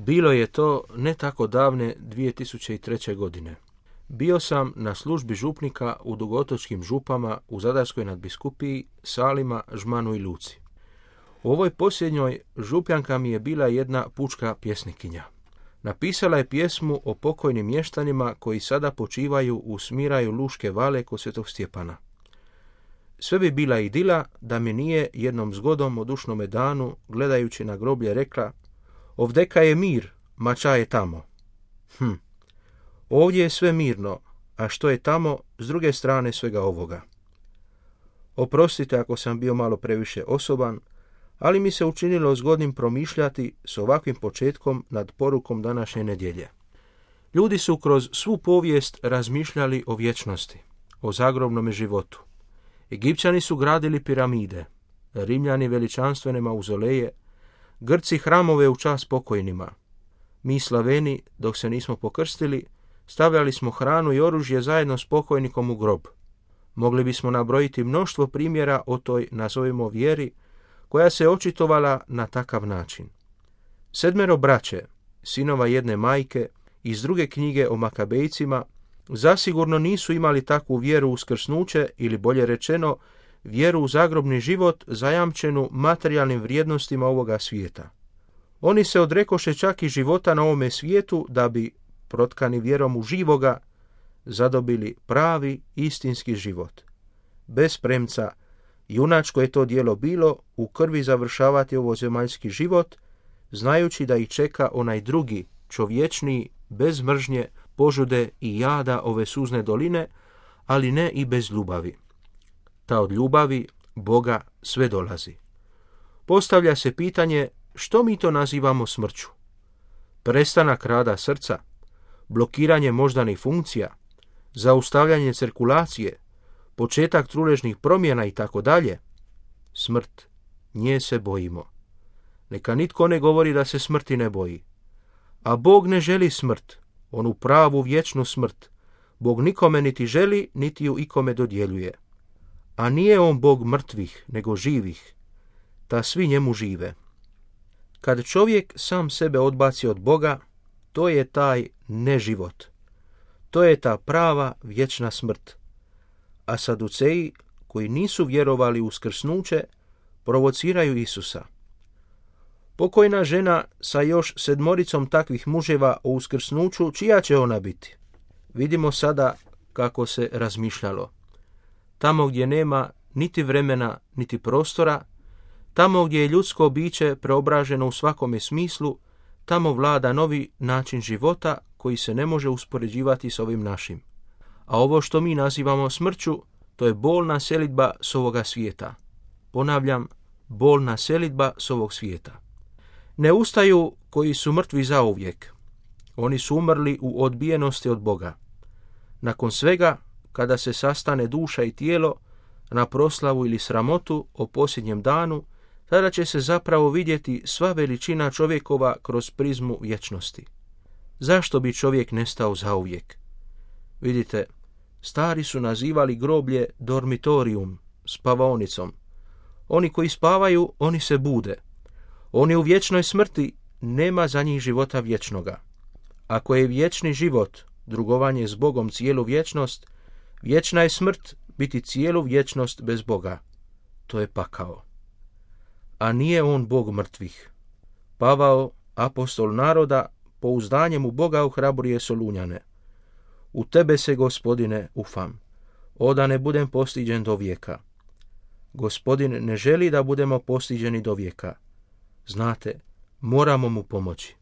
Bilo je to ne tako davne 2003. godine. Bio sam na službi župnika u Dugotočkim župama u Zadarskoj nadbiskupiji, Salima, Žmanu i Luci. U ovoj posljednjoj župljanka mi je bila jedna pučka pjesnikinja. Napisala je pjesmu o pokojnim mještanima koji sada počivaju u smiraju Luške vale kod Svetog Stjepana. Sve bi bila idila da mi nije jednom zgodom o dušnome danu, gledajući na groblje, rekla: ovdeka je mir, mača je tamo. Ovdje je sve mirno, a što je tamo s druge strane svega ovoga? Oprostite ako sam bio malo previše osoban, ali mi se učinilo zgodnim promišljati s ovakvim početkom nad porukom današnje nedjelje. Ljudi su kroz svu povijest razmišljali o vječnosti, o zagrobnome životu. Egipćani su gradili piramide, Rimljani veličanstvene mauzoleje, Grci hramove u čast pokojnima. Mi Slaveni, dok se nismo pokrstili, stavljali smo hranu i oružje zajedno s pokojnikom u grob. Mogli bismo nabrojiti mnoštvo primjera o toj, nazovimo, vjeri, koja se očitovala na takav način. 7 braće, sinova jedne majke, iz druge knjige o Makabejcima, zasigurno nisu imali takvu vjeru u uskrsnuće, ili bolje rečeno, vjeru u zagrobni život zajamčenu materijalnim vrijednostima ovoga svijeta. Oni se odrekoše čak i života na ovome svijetu da bi, protkani vjerom u živoga, zadobili pravi istinski život. Bez premca, junačko je to djelo bilo u krvi završavati ovo zemaljski život, znajući da ih čeka onaj drugi, čovječniji, bez mržnje, požude i jada ove suzne doline, ali ne i bez ljubavi. Ta od ljubavi Boga sve dolazi. Postavlja se pitanje što mi to nazivamo smrću. Prestanak rada srca, blokiranje moždanih funkcija, zaustavljanje cirkulacije, početak truležnih promjena i tako dalje. Smrt, nje se bojimo. Neka nitko ne govori da se smrti ne boji. A Bog ne želi smrt, onu pravu vječnu smrt. Bog nikome niti želi, niti ju ikome dodjeljuje. A nije on Bog mrtvih, nego živih. Ta svi njemu žive. Kad čovjek sam sebe odbaci od Boga, to je taj neživot. To je ta prava vječna smrt. A Saduceji, koji nisu vjerovali u uskrsnuće, provociraju Isusa. Pokojna žena sa još 7 takvih muževa o uskrsnuću, čija će ona biti? Vidimo sada kako se razmišljalo. Tamo gdje nema niti vremena, niti prostora, tamo gdje je ljudsko biće preobraženo u svakome smislu, tamo vlada novi način života koji se ne može uspoređivati s ovim našim. A ovo što mi nazivamo smrću, to je bolna selidba s ovoga svijeta. Ponavljam, bolna selidba s ovog svijeta. Ne ustaju koji su mrtvi zauvijek. Oni su umrli u odbijenosti od Boga. Nakon svega, kada se sastane duša i tijelo na proslavu ili sramotu o posljednjem danu, tada će se zapravo vidjeti sva veličina čovjekova kroz prizmu vječnosti. Zašto bi čovjek nestao zauvijek? Vidite, stari su nazivali groblje dormitorium, spavaonicom. Oni koji spavaju, oni se bude. Oni u vječnoj smrti, nema za njih života vječnoga. Ako je vječni život drugovanje s Bogom cijelu vječnost, vječna je smrt biti cijelu vječnost bez Boga. To je pakao. A nije on Bog mrtvih. Pavao, apostol naroda, pouzdanjem u Boga ohrabruje Solunjane. U tebe se, Gospodine, ufam. O da ne budem postiđen do vijeka. Gospodin ne želi da budemo postiđeni do vijeka. Znate, moramo mu pomoći.